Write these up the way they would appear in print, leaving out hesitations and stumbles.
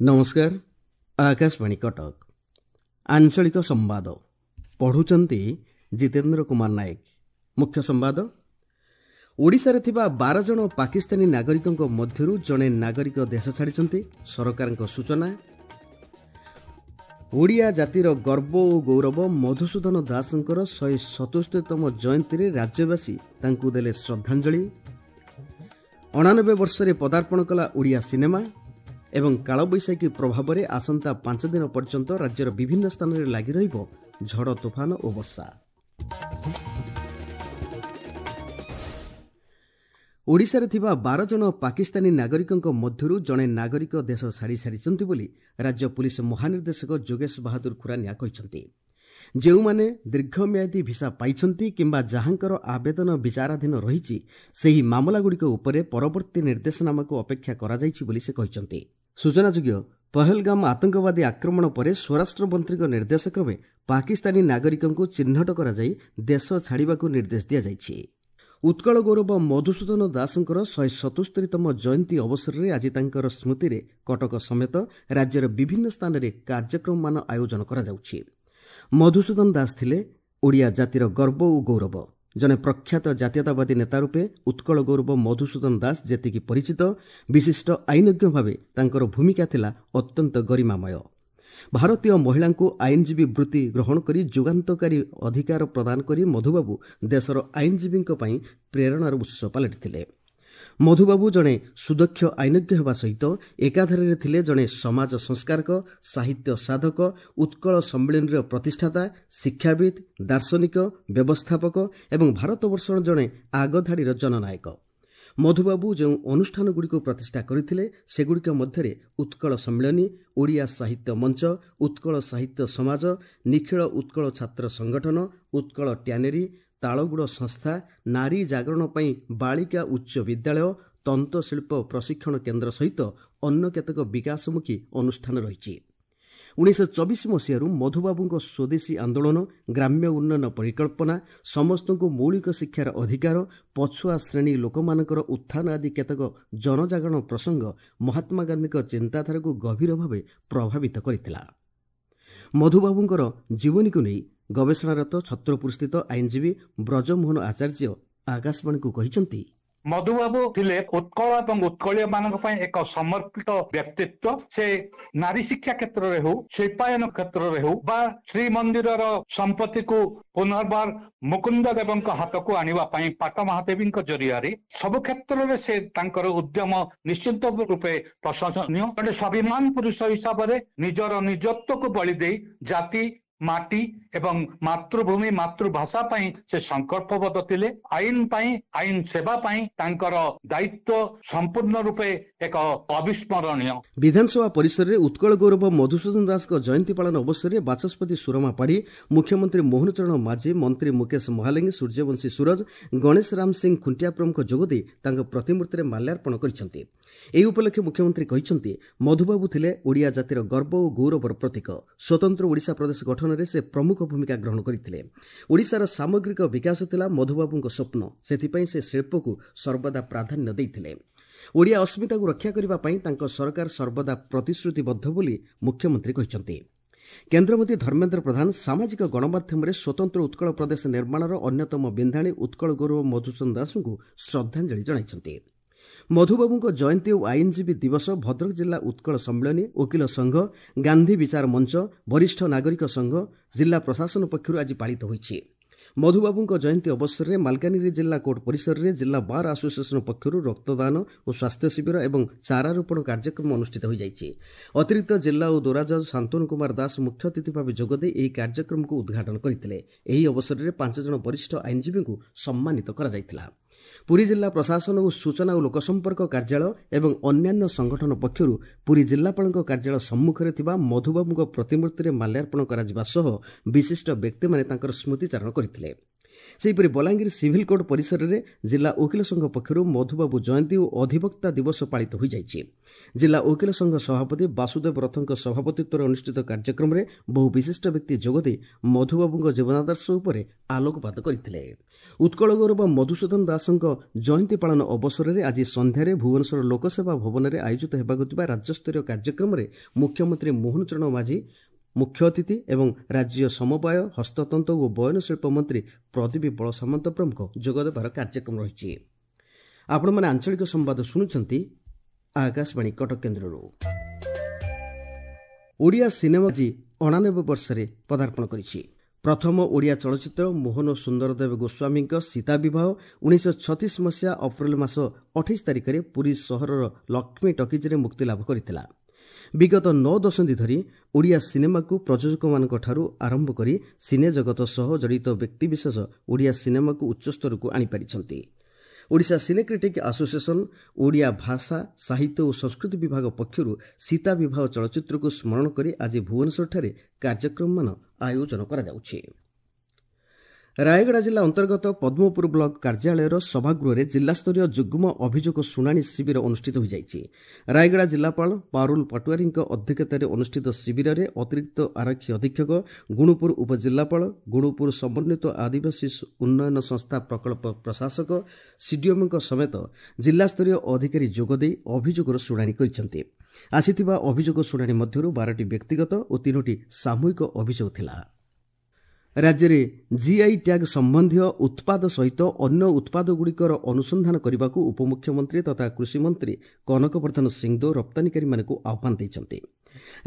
ନମସ୍କାର, ଆକାଶବାଣୀ କଟକ। ଆଞ୍ଚଳିକ ସମ୍ବାଦ ପଢ଼ୁଛନ୍ତି ଜିତେନ୍ଦ୍ର କୁମାର ନାୟକ। ମୁଖ୍ୟ ସମ୍ବାଦ। ଓଡ଼ିଶାରେ ଥିବା 12 ଜଣ ପାକିସ୍ତାନୀ ନାଗରିକଙ୍କ ମଧ୍ୟରୁ ଜଣେ ନାଗରିକ ଦେଶ ଛାଡ଼ିଛନ୍ତି, ସରକାରଙ୍କ ସୂଚନା। ଓଡ଼ିଆ ଜାତିର ଗର୍ବ ଓ ଗୌରବ ମଧୁସୂଦନ ଦାସଙ୍କର 177ତମ ଜୟନ୍ତୀରେ ରାଜ୍ୟବାସୀ ତାଙ୍କୁ ଦେଲେ ଶ୍ରଦ୍ଧାଞ୍ଜଳି। 89 ବର୍ଷରେ ପଦାର୍ପଣ କଲା ଓଡ଼ିଆ ସିନେମା। ଏବଂ କାଳବୈଶାଖୀ ପ୍ରଭାବରେ ଆସନ୍ତା 5 ଦିନ ପର୍ଯ୍ୟନ୍ତ ରାଜ୍ୟର ବିଭିନ୍ନ ସ୍ଥାନରେ ଲାଗି ରହିବ ଝଡ଼ ତୋଫାନ ଓ ବର୍ଷା। ଓଡ଼ିଶାରେ ଥିବା 12 ଜଣ ପାକିସ୍ତାନୀ ନାଗରିକଙ୍କ ମଧ୍ୟରୁ ଜଣେ ନାଗରିକ ଦେଶ ଛାଡ଼ି ସାରିଛନ୍ତି ବୋଲି ରାଜ୍ୟ ପୁଲିସ୍ ମହାନିର୍ଦ୍ଦେଶକ ଯୋଗେଶ ବାହାଦୁର ଖୁରାନିଆ କହିଛନ୍ତି। ଯେଉଁମାନେ ଦୀର୍ଘମିଆଦୀ ଭିସା ପାଇଛନ୍ତି କିମ୍ବା ଯାହାଙ୍କର ଆବେଦନ ବିଚାରାଧୀନ ରହିଛି, ସେହି ମାମଲାଗୁଡ଼ିକ ଉପରେ ପରବର୍ତ୍ତୀ ନିର୍ଦ୍ଦେଶନାମାକୁ ଅପେକ୍ଷା କରାଯାଇଛି ବୋଲି ସେ କହିଛନ୍ତି। ସୂଚନାଯୋଗ୍ୟ, ପହଲଗାମ ଆତଙ୍କବାଦୀ ଆକ୍ରମଣ ପରେ ସ୍ୱରାଷ୍ଟ୍ରମନ୍ତ୍ରୀଙ୍କ ନିର୍ଦ୍ଦେଶକ୍ରମେ ପାକିସ୍ତାନୀ ନାଗରିକଙ୍କୁ ଚିହ୍ନଟ କରାଯାଇ ଦେଶ ଛାଡ଼ିବାକୁ ନିର୍ଦ୍ଦେଶ ଦିଆଯାଇଛି। ଉତ୍କଳ ଗୌରବ ମଧୁସୂଦନ ଦାସଙ୍କର 177ତମ ଜୟନ୍ତୀ ଅବସରରେ ଆଜି ତାଙ୍କର ସ୍ମୃତିରେ କଟକ ସମେତ ରାଜ୍ୟର ବିଭିନ୍ନ ସ୍ଥାନରେ କାର୍ଯ୍ୟକ୍ରମମାନ ଆୟୋଜନ କରାଯାଉଛି। ମଧୁସୂଦନ ଦାସ ଥିଲେ ଓଡ଼ିଆ ଜାତିର ଗର୍ବ ଓ ଗୌରବ। ଜଣେ ପ୍ରଖ୍ୟାତ ଜାତୀୟତାବାଦୀ ନେତା ରୂପେ ଉତ୍କଳ ଗୌରବ ମଧୁସୂଦନ ଦାସ ଯେତିକି ପରିଚିତ, ବିଶିଷ୍ଟ ଆଇନଜ୍ଞ ଭାବେ ତାଙ୍କର ଭୂମିକା ଥିଲା ଅତ୍ୟନ୍ତ ଗରିମାମୟ। ଭାରତୀୟ ମହିଳାଙ୍କୁ ଆଇନଜୀବୀ ବୃତ୍ତି ଗ୍ରହଣ କରି ଯୁଗାନ୍ତକାରୀ ଅଧିକାର ପ୍ରଦାନ କରି ମଧୁବାବୁ ଦେଶର ଆଇନଜୀବୀଙ୍କ ପାଇଁ ପ୍ରେରଣାର ଉତ୍ସ ପାଲଟିଥିଲେ। ମଧୁବାବୁ ଜଣେ ସୁଦକ୍ଷ ଆଇନଜ୍ଞ ହେବା ସହିତ ଏକାଧାରରେ ଥିଲେ ଜଣେ ସମାଜ ସଂସ୍କାରକ, ସାହିତ୍ୟ ସାଧକ, ଉତ୍କଳ ସମ୍ମିଳନୀର ପ୍ରତିଷ୍ଠାତା, ଶିକ୍ଷାବିତ୍, ଦାର୍ଶନିକ, ବ୍ୟବସ୍ଥାପକ ଏବଂ ଭାରତବର୍ଷର ଜଣେ ଆଗଧାଡ଼ିର ଜନନାୟକ। ମଧୁବାବୁ ଯେଉଁ ଅନୁଷ୍ଠାନଗୁଡ଼ିକୁ ପ୍ରତିଷ୍ଠା କରିଥିଲେ, ସେଗୁଡ଼ିକ ମଧ୍ୟରେ ଉତ୍କଳ ସମ୍ମିଳନୀ, ଓଡ଼ିଆ ସାହିତ୍ୟ ମଞ୍ଚ, ଉତ୍କଳ ସାହିତ୍ୟ ସମାଜ, ନିଖିଳ ଉତ୍କଳ ଛାତ୍ର ସଂଗଠନ, ଉତ୍କଳ ଟ୍ୟାନେରୀ, ତାଳଗୁଡ଼ ସଂସ୍ଥା, ନାରୀ ଜାଗରଣ ପାଇଁ ବାଳିକା ଉଚ୍ଚ ବିଦ୍ୟାଳୟ, ତନ୍ତଶିଳ୍ପ ପ୍ରଶିକ୍ଷଣ କେନ୍ଦ୍ର ସହିତ ଅନ୍ୟ କେତେକ ବିକାଶମୁଖୀ ଅନୁଷ୍ଠାନ ରହିଛି। 1924 ମସିହାରୁ ମଧୁବାବୁଙ୍କ ସ୍ୱଦେଶୀ ଆନ୍ଦୋଳନ, ଗ୍ରାମ୍ୟ ଉନ୍ନୟନ ପରିକଳ୍ପନା, ସମସ୍ତଙ୍କୁ ମୌଳିକ ଶିକ୍ଷାର ଅଧିକାର, ପଛୁଆ ଶ୍ରେଣୀ ଲୋକମାନଙ୍କର ଉତ୍ଥାନ ଆଦି କେତେକ ଜନଜାଗରଣ ପ୍ରସଙ୍ଗ ମହାତ୍ମା ଗାନ୍ଧୀଙ୍କ ଚିନ୍ତାଧାରାକୁ ଗଭୀର ଭାବେ ପ୍ରଭାବିତ କରିଥିଲା। ମଧୁବାବୁଙ୍କର ଜୀବନୀକୁ ନେଇ ଗବେଷଣାରତ ଛତ୍ରପୁରସ୍ଥିତ ଆଇନଜୀବୀ ବ୍ରଜମୋହନ ଆଚାର୍ଯ୍ୟ ଆକାଶବାଣୀକୁ କହିଛନ୍ତି, ମଧୁବାବୁ ଥିଲେ ଉତ୍କଳ ଏବଂ ଉତ୍କଳୀୟ ମାନଙ୍କ ପାଇଁ ଏକ ସମର୍ପିତ ବ୍ୟକ୍ତିତ୍ୱ। ସେ ନାରୀ ଶିକ୍ଷା କ୍ଷେତ୍ରରେ ହେଉ, ଶିଳ୍ପାୟନ କ୍ଷେତ୍ରରେ ହେଉ ବା ଶ୍ରୀମନ୍ଦିରର ସମ୍ପତ୍ତିକୁ ପୁନର୍ବାର ମୁକୁନ୍ଦ ଦେବଙ୍କ ହାତକୁ ଆଣିବା ପାଇଁ ପାଟ ମହାଦେବୀଙ୍କ ଜରିଆରେ ସବୁ କ୍ଷେତ୍ରରେ ସେ ତାଙ୍କର ଉଦ୍ୟମ ନିଶ୍ଚିତ ରୂପେ ପ୍ରଶଂସନୀୟ। ଜଣେ ସ୍ୱାଭିମାନ ପୁରୁଷ ହିସାବରେ ନିଜର ନିଜତ୍ୱକୁ ବଳି ଦେଇ ଜାତି, ମାଟି ଏବଂ ମାତୃଭୂମି, ମାତୃଭାଷା ପାଇଁ ସେ ସଂକଳ୍ପବଦ୍ଧ ଥିଲେ। ଆଇନ ପାଇଁ, ଆଇନ ସେବା ପାଇଁ ତାଙ୍କର ଦାୟିତ୍ୱ ସମ୍ପୂର୍ଣ୍ଣ ରୂପେ ଏକ ଅବିସ୍ମରଣୀୟ। ବିଧାନସଭା ପରିସରରେ ଉତ୍କଳ ଗୌରବ ମଧୁସୂଦନ ଦାସଙ୍କ ଜୟନ୍ତୀ ପାଳନ ଅବସରରେ ବାଚସ୍ପତି ସୁରମା ପାଢ଼ୀ, ମୁଖ୍ୟମନ୍ତ୍ରୀ ମୋହନ ଚରଣ ମାଝୀ, ମନ୍ତ୍ରୀ ମୁକେଶ ମହାଲିଙ୍ଗ, ସୂର୍ଯ୍ୟବଂଶୀ ସୂରଜ, ଗଣେଶ ରାମ ସିଂ ଖୁଣ୍ଟିଆ ପ୍ରମୁଖ ଯୋଗଦେଇ ତାଙ୍କ ପ୍ରତିମୂର୍ତ୍ତିରେ ମାଲ୍ୟାର୍ପଣ କରିଛନ୍ତି। ଏହି ଉପଲକ୍ଷେ ମୁଖ୍ୟମନ୍ତ୍ରୀ କହିଛନ୍ତି, ମଧୁବାବୁ ଥିଲେ ଓଡ଼ିଆ ଜାତିର ଗର୍ବ ଓ ଗୌରବର ପ୍ରତୀକ। ସ୍ୱତନ୍ତ୍ର ଓଡ଼ିଶା ପ୍ରଦେଶ ଗଠନରେ ସେ ପ୍ରମୁଖ ଭୂମିକା ଗ୍ରହଣ କରିଥିଲେ। ଓଡ଼ିଶାର ସାମଗ୍ରିକ ବିକାଶ ଥିଲା ମଧୁବାବୁଙ୍କ ସ୍ୱପ୍ନ। ସେଥିପାଇଁ ସେ ଶିଳ୍ପକୁ ସର୍ବଦା ପ୍ରାଧାନ୍ୟ ଦେଇଥିଲେ। ଓଡ଼ିଆ ଅସ୍ମିତାକୁ ରକ୍ଷା କରିବା ପାଇଁ ତାଙ୍କ ସରକାର ସର୍ବଦା ପ୍ରତିଶ୍ରୁତିବଦ୍ଧ ବୋଲି ମୁଖ୍ୟମନ୍ତ୍ରୀ କହିଛନ୍ତି। କେନ୍ଦ୍ରମନ୍ତ୍ରୀ ଧର୍ମେନ୍ଦ୍ର ପ୍ରଧାନ ସାମାଜିକ ଗଣମାଧ୍ୟମରେ ସ୍ୱତନ୍ତ୍ର ଉତ୍କଳ ପ୍ରଦେଶ ନିର୍ମାଣର ଅନ୍ୟତମ ବିନ୍ଧାଣୀ ଉତ୍କଳ ଗୌରବ ମଧୁସୂଦନ ଦାସଙ୍କୁ ଶ୍ରଦ୍ଧାଞ୍ଜଳି ଜଣାଇଛନ୍ତି। ମଧୁବାବୁଙ୍କ ଜୟନ୍ତୀ ଓ ଆଇନଜୀବୀ ଦିବସ ଭଦ୍ରକ ଜିଲ୍ଲା ଉତ୍କଳ ସମ୍ମିଳନୀ, ଓକିଲ ସଂଘ, ଗାନ୍ଧୀ ବିଚାର ମଞ୍ଚ, ବରିଷ୍ଠ ନାଗରିକ ସଂଘ, ଜିଲ୍ଲା ପ୍ରଶାସନ ପକ୍ଷରୁ ଆଜି ପାଳିତ ହୋଇଛି। ମଧୁବାବୁଙ୍କ ଜୟନ୍ତୀ ଅବସରରେ ମାଲକାନଗିରି ଜିଲ୍ଲା କୋର୍ଟ ପରିସରରେ ଜିଲ୍ଲା ବାର୍ ଆସୋସିଏସନ ପକ୍ଷରୁ ରକ୍ତଦାନ ଓ ସ୍ୱାସ୍ଥ୍ୟ ଶିବିର ଏବଂ ଚାରାରୋପଣ କାର୍ଯ୍ୟକ୍ରମ ଅନୁଷ୍ଠିତ ହୋଇଯାଇଛି। ଅତିରିକ୍ତ ଜିଲ୍ଲା ଓ ଦୌରାଜଜ୍ ଶାନ୍ତନୁ କୁମାର ଦାସ ମୁଖ୍ୟ ଅତିଥି ଭାବେ ଯୋଗଦେଇ ଏହି କାର୍ଯ୍ୟକ୍ରମକୁ ଉଦ୍ଘାଟନ କରିଥିଲେ। ଏହି ଅବସରରେ 5 ଜଣ ବରିଷ୍ଠ ଆଇନଜୀବୀଙ୍କୁ ସମ୍ମାନିତ କରାଯାଇଥିଲା। ପୁରୀ ଜିଲ୍ଲା ପ୍ରଶାସନ ଓ ସୂଚନା ଓ ଲୋକସମ୍ପର୍କ କାର୍ଯ୍ୟାଳୟ ଏବଂ ଅନ୍ୟାନ୍ୟ ସଂଗଠନ ପକ୍ଷରୁ ପୁରୀ ଜିଲ୍ଲାପାଳଙ୍କ କାର୍ଯ୍ୟାଳୟ ସମ୍ମୁଖରେ ଥିବା ମଧୁବାବୁଙ୍କ ପ୍ରତିମୂର୍ତ୍ତିରେ ମାଲ୍ୟାର୍ପଣ କରାଯିବା ସହ ବିଶିଷ୍ଟ ବ୍ୟକ୍ତିମାନେ ତାଙ୍କର ସ୍ମୃତିଚାରଣ କରିଥିଲେ। ସେହିପରି ବଲାଙ୍ଗୀର ସିଭିଲ୍ କୋର୍ଟ ପରିସରରେ ଜିଲ୍ଲା ଓକିଲ ସଂଘ ପକ୍ଷରୁ ମଧୁବାବୁ ଜୟନ୍ତୀ ଓ ଅଧିବକ୍ତା ଦିବସ ପାଳିତ ହୋଇଯାଇଛି। ଜିଲ୍ଲା ଓକିଲ ସଂଘ ସଭାପତି ବାସୁଦେବ ରଥଙ୍କ ସଭାପତିତ୍ୱରେ ଅନୁଷ୍ଠିତ କାର୍ଯ୍ୟକ୍ରମରେ ବହୁ ବିଶିଷ୍ଟ ବ୍ୟକ୍ତି ଯୋଗଦେଇ ମଧୁବାବୁଙ୍କ ଜୀବନାଦର୍ଶ ଉପରେ ଆଲୋକପାତ କରିଥିଲେ। ଉତ୍କଳ ଗୌରବ ମଧୁସୂଦନ ଦାସଙ୍କ ଜୟନ୍ତୀ ପାଳନ ଅବସରରେ ଆଜି ସନ୍ଧ୍ୟାରେ ଭୁବନେଶ୍ୱର ଲୋକସେବା ଭବନରେ ଆୟୋଜିତ ହେବାକୁ ଥିବା ରାଜ୍ୟସ୍ତରୀୟ କାର୍ଯ୍ୟକ୍ରମରେ ମୁଖ୍ୟମନ୍ତ୍ରୀ ମୋହନ ଚରଣ ମାଝୀ ମୁଖ୍ୟ ଅତିଥି ଏବଂ ରାଜ୍ୟ ସମବାୟ, ହସ୍ତତନ୍ତ ଓ ବୟନଶିଳ୍ପ ମନ୍ତ୍ରୀ ପ୍ରଦୀପ ବଳସାମନ୍ତ ପ୍ରମୁଖ ଯୋଗଦେବାର କାର୍ଯ୍ୟକ୍ରମ ରହିଛି। ଆପଣମାନେ ଆଞ୍ଚଳିକ ସମ୍ବାଦ ଶୁଣୁଛନ୍ତି ଆକାଶବାଣୀ କଟକ କେନ୍ଦ୍ରରୁ। ଓଡ଼ିଆ ସିନେମା ଆଜି 89 ବର୍ଷରେ ପଦାର୍ପଣ କରିଛି। ପ୍ରଥମ ଓଡ଼ିଆ ଚଳଚ୍ଚିତ୍ର ମୋହନ ସୁନ୍ଦରଦେବ ଗୋସ୍ୱାମୀଙ୍କ ସୀତା ବିବାହ 1936 ମସିହା ଅପ୍ରିଲ ମାସ 28 ତାରିଖରେ ପୁରୀ ସହରର ଲକ୍ଷ୍ମୀ ଟକିଜ୍ରେ ମୁକ୍ତିଲାଭ କରିଥିଲା। ବିଗତ 9 ଦଶନ୍ଧି ଧରି ଓଡ଼ିଆ ସିନେମାକୁ ପ୍ରଯୋଜକମାନଙ୍କଠାରୁ ଆରମ୍ଭ କରି ସିନେ ଜଗତ ସହ ଜଡ଼ିତ ବ୍ୟକ୍ତିବିଶେଷ ଓଡ଼ିଆ ସିନେମାକୁ ଉଚ୍ଚସ୍ତରକୁ ଆଣିପାରିଛନ୍ତି। ଓଡ଼ିଶା ସିନେ କ୍ରିଟିକ୍ ଆସୋସିଏସନ୍ ଓଡ଼ିଆ ଭାଷା, ସାହିତ୍ୟ ଓ ସଂସ୍କୃତି ବିଭାଗ ପକ୍ଷରୁ ସୀତା ବିବାହ ଚଳଚ୍ଚିତ୍ରକୁ ସ୍ମରଣ କରି ଆଜି ଭୁବନେଶ୍ୱରଠାରେ କାର୍ଯ୍ୟକ୍ରମମାନ ଆୟୋଜନ କରାଯାଉଛି। ରାୟଗଡ଼ା ଜିଲ୍ଲା ଅନ୍ତର୍ଗତ ପଦ୍ମପୁର ବ୍ଲକ କାର୍ଯ୍ୟାଳୟର ସଭାଗୃହରେ ଜିଲ୍ଲାସ୍ତରୀୟ ଯୁଗ୍ମ ଅଭିଯୋଗ ଶୁଣାଣି ଶିବିର ଅନୁଷ୍ଠିତ ହୋଇଯାଇଛି। ରାୟଗଡ଼ା ଜିଲ୍ଲାପାଳ ପାରୁଲ ପାଟୁଆରୀଙ୍କ ଅଧ୍ୟକ୍ଷତାରେ ଅନୁଷ୍ଠିତ ଶିବିରରେ ଅତିରିକ୍ତ ଆରକ୍ଷୀ ଅଧୀକ୍ଷକ, ଗୁଣୁପୁର ଉପଜିଲ୍ଲାପାଳ, ଗୁଣୁପୁର ସମନ୍ୱିତ ଆଦିବାସୀ ଉନ୍ନୟନ ସଂସ୍ଥା ପ୍ରକଳ୍ପ ପ୍ରଶାସକ, ସିଡିଏମ୍ଓଙ୍କ ସମେତ ଜିଲ୍ଲାସ୍ତରୀୟ ଅଧିକାରୀ ଯୋଗଦେଇ ଅଭିଯୋଗର ଶୁଣାଣି କରିଛନ୍ତି। ଆସିଥିବା ଅଭିଯୋଗ ଶୁଣାଣି ମଧ୍ୟରୁ 12ଟି ବ୍ୟକ୍ତିଗତ ଓ 3ଟି ସାମୂହିକ ଅଭିଯୋଗ ଥିଲା। ରାଜ୍ୟରେ ଜିଆଇ ଟ୍ୟାଗ୍ ସମ୍ବନ୍ଧୀୟ ଉତ୍ପାଦ ସହିତ ଅନ୍ୟ ଉତ୍ପାଦଗୁଡ଼ିକର ଅନୁସନ୍ଧାନ କରିବାକୁ ଉପମୁଖ୍ୟମନ୍ତ୍ରୀ ତଥା କୃଷିମନ୍ତ୍ରୀ କନକବର୍ଦ୍ଧନ ସିଂଦେଓ ରପ୍ତାନିକାରୀମାନଙ୍କୁ ଆହ୍ୱାନ ଦେଇଛନ୍ତି।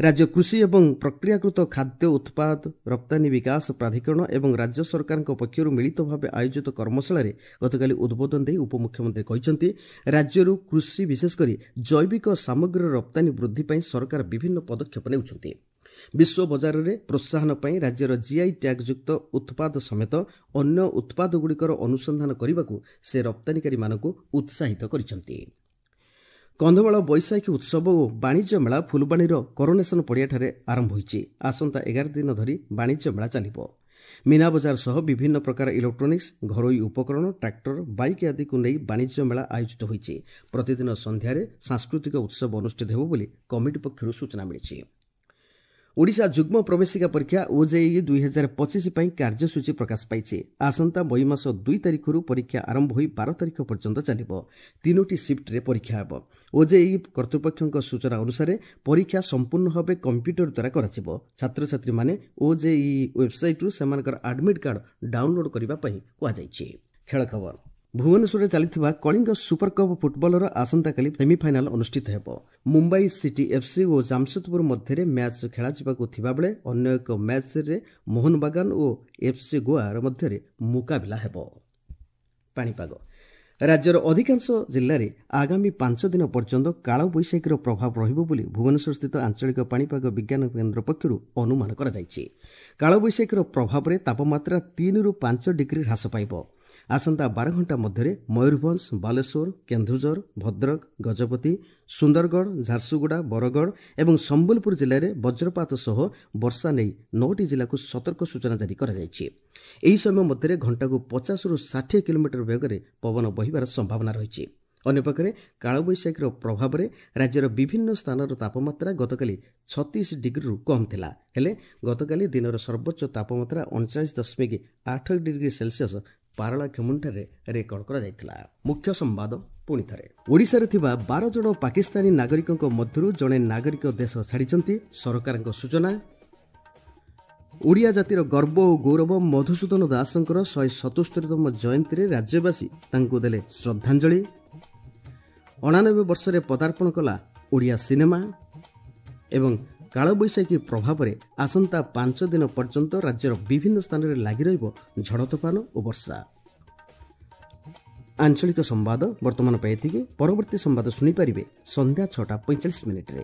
ରାଜ୍ୟ କୃଷି ଏବଂ ପ୍ରକ୍ରିୟାକୃତ ଖାଦ୍ୟ ଉତ୍ପାଦ ରପ୍ତାନି ବିକାଶ ପ୍ରାଧିକରଣ ଏବଂ ରାଜ୍ୟ ସରକାରଙ୍କ ପକ୍ଷରୁ ମିଳିତ ଭାବେ ଆୟୋଜିତ କର୍ମଶାଳାରେ ଗତକାଲି ଉଦ୍ବୋଧନ ଦେଇ ଉପମୁଖ୍ୟମନ୍ତ୍ରୀ କହିଛନ୍ତି, ରାଜ୍ୟରୁ କୃଷି ବିଶେଷ କରି ଜୈବିକ ସାମଗ୍ରୀର ରପ୍ତାନି ବୃଦ୍ଧି ପାଇଁ ସରକାର ବିଭିନ୍ନ ପଦକ୍ଷେପ ନେଉଛନ୍ତି। ବିଶ୍ୱ ବଜାରରେ ପ୍ରୋତ୍ସାହନ ପାଇଁ ରାଜ୍ୟର ଜିଆଇ ଟ୍ୟାଗ୍ଯୁକ୍ତ ଉତ୍ପାଦ ସମେତ ଅନ୍ୟ ଉତ୍ପାଦଗୁଡ଼ିକର ଅନୁସନ୍ଧାନ କରିବାକୁ ସେ ରପ୍ତାନିକାରୀମାନଙ୍କୁ ଉତ୍ସାହିତ କରିଛନ୍ତି। କନ୍ଧମାଳ ବୈଶାଖୀ ଉତ୍ସବ ଓ ବାଣିଜ୍ୟ ମେଳା ଫୁଲବାଣୀର କରୋନେସନ ପଡ଼ିଆଠାରେ ଆରମ୍ଭ ହୋଇଛି। ଆସନ୍ତା 11 ଦିନ ଧରି ବାଣିଜ୍ୟ ମେଳା ଚାଲିବ। ମୀନାବଜାର ସହ ବିଭିନ୍ନ ପ୍ରକାର ଇଲେକ୍ଟ୍ରୋନିକ୍ସ, ଘରୋଇ ଉପକରଣ, ଟ୍ରାକ୍ଟର, ବାଇକ୍ ଆଦିକୁ ନେଇ ବାଣିଜ୍ୟ ମେଳା ଆୟୋଜିତ ହୋଇଛି। ପ୍ରତିଦିନ ସନ୍ଧ୍ୟାରେ ସାଂସ୍କୃତିକ ଉତ୍ସବ ଅନୁଷ୍ଠିତ ହେବ ବୋଲି କମିଟି ପକ୍ଷରୁ ସୂଚନା ମିଳିଛି। ଓଡ଼ିଶା ଯୁଗ୍ମ ପ୍ରବେଶିକା ପରୀକ୍ଷା ଓଜେଇଇ 2025 ପାଇଁ କାର୍ଯ୍ୟସୂଚୀ ପ୍ରକାଶ ପାଇଛି। ଆସନ୍ତା ମଇ ମାସ 2 ତାରିଖରୁ ପରୀକ୍ଷା ଆରମ୍ଭ ହୋଇ 12 ତାରିଖ ପର୍ଯ୍ୟନ୍ତ ଚାଲିବ। 3ଟି ସିଫ୍ଟରେ ପରୀକ୍ଷା ହେବ। ଓଜେଇଇ କର୍ତ୍ତୃପକ୍ଷଙ୍କ ସୂଚନା ଅନୁସାରେ ପରୀକ୍ଷା ସମ୍ପୂର୍ଣ୍ଣ ଭାବେ କମ୍ପ୍ୟୁଟର ଦ୍ୱାରା କରାଯିବ। ଛାତ୍ରଛାତ୍ରୀମାନେ ଓଜେଇଇ ୱେବ୍ସାଇଟ୍ରୁ ସେମାନଙ୍କର ଆଡମିଟ୍ କାର୍ଡ ଡାଉନଲୋଡ୍ କରିବା ପାଇଁ କୁହାଯାଇଛି। ଖେଳ ଖବର। ଭୁବନେଶ୍ୱରରେ ଚାଲିଥିବା କଳିଙ୍ଗ ସୁପର କପ୍ ଫୁଟବଲର ଆସନ୍ତାକାଲି ସେମିଫାଇନାଲ ଅନୁଷ୍ଠିତ ହେବ। ମୁମ୍ବାଇ ସିଟି ଏଫ୍ସି ଓ ଜାମସେଦପୁର ମଧ୍ୟରେ ମ୍ୟାଚ୍ ଖେଳାଯିବାକୁ ଥିବାବେଳେ ଅନ୍ୟ ଏକ ମ୍ୟାଚ୍ରେ ମୋହନବାଗାନ ଓ ଏଫ୍ସି ଗୋଆର ମଧ୍ୟରେ ମୁକାବିଲା ହେବ। ପାଣିପାଗ। ରାଜ୍ୟର ଅଧିକାଂଶ ଜିଲ୍ଲାରେ ଆଗାମୀ 5 ଦିନ ପର୍ଯ୍ୟନ୍ତ କାଳବୈଶାଖୀର ପ୍ରଭାବ ରହିବ ବୋଲି ଭୁବନେଶ୍ୱରସ୍ଥିତ ଆଞ୍ଚଳିକ ପାଣିପାଗ ବିଜ୍ଞାନ କେନ୍ଦ୍ର ପକ୍ଷରୁ ଅନୁମାନ କରାଯାଇଛି। କାଳବୈଶାଖୀର ପ୍ରଭାବରେ ତାପମାତ୍ରା 3ରୁ 5 ଡିଗ୍ରୀ ହ୍ରାସ ପାଇବ। ଆସନ୍ତା 12 ଘଣ୍ଟା ମଧ୍ୟରେ ମୟୂରଭଞ୍ଜ, ବାଲେଶ୍ୱର, କେନ୍ଦୁଝର, ଭଦ୍ରକ, ଗଜପତି, ସୁନ୍ଦରଗଡ଼, ଝାରସୁଗୁଡ଼ା, ବରଗଡ଼ ଏବଂ ସମ୍ବଲପୁର ଜିଲ୍ଲାରେ ବଜ୍ରପାତ ସହ ବର୍ଷା ନେଇ 9ଟି ଜିଲ୍ଲାକୁ ସତର୍କ ସୂଚନା ଜାରି କରାଯାଇଛି। ଏହି ସମୟ ମଧ୍ୟରେ ଘଣ୍ଟାକୁ 50ରୁ 60 କିଲୋମିଟର ବେଗରେ ପବନ ବହିବାର ସମ୍ଭାବନା ରହିଛି। ଅନ୍ୟପକ୍ଷରେ କାଳବୈଶାଖୀର ପ୍ରଭାବରେ ରାଜ୍ୟର ବିଭିନ୍ନ ସ୍ଥାନର ତାପମାତ୍ରା ଗତକାଲି 36 ଡିଗ୍ରୀରୁ କମ୍ ଥିଲା। ହେଲେ ଗତକାଲି ଦିନର ସର୍ବୋଚ୍ଚ ତାପମାତ୍ରା 39.8 ଡିଗ୍ରୀ ସେଲସିୟସ୍ ପାରଳାଖେମୁଣ୍ଡିଠାରେ ରେକର୍ଡ କରାଯାଇଥିଲା। ମୁଖ୍ୟ ସମ୍ବାଦ ପୁଣି ଥରେ। ଓଡ଼ିଶାରେ ଥିବା 12 ଜଣ ପାକିସ୍ତାନୀ ନାଗରିକଙ୍କ ମଧ୍ୟରୁ ଜଣେ ନାଗରିକ ଦେଶ ଛାଡ଼ିଛନ୍ତି, ସରକାରଙ୍କ ସୂଚନା। ଓଡ଼ିଆ ଜାତିର ଗର୍ବ ଓ ଗୌରବ ମଧୁସୂଦନ ଦାସଙ୍କର 177ତମ ଜୟନ୍ତୀରେ ରାଜ୍ୟବାସୀ ତାଙ୍କୁ ଦେଲେ ଶ୍ରଦ୍ଧାଞ୍ଜଳି। 89 ବର୍ଷରେ ପଦାର୍ପଣ କଲା ଓଡ଼ିଆ ସିନେମା। ଏବଂ କାଳବୈଶାଖୀ ପ୍ରଭାବରେ ଆସନ୍ତା 5 ଦିନ ପର୍ଯ୍ୟନ୍ତ ରାଜ୍ୟର ବିଭିନ୍ନ ସ୍ଥାନରେ ଲାଗି ରହିବ ଝଡ଼ ତୋଫାନ ଓ ବର୍ଷା। ଆଞ୍ଚଳିକ ସମ୍ବାଦ ବର୍ତ୍ତମାନ ପାଇଁ ଏତିକି। ପରବର୍ତ୍ତୀ ସମ୍ବାଦ ଶୁଣିପାରିବେ ସନ୍ଧ୍ୟା 6ଟା 45 ମିନିଟ୍ରେ।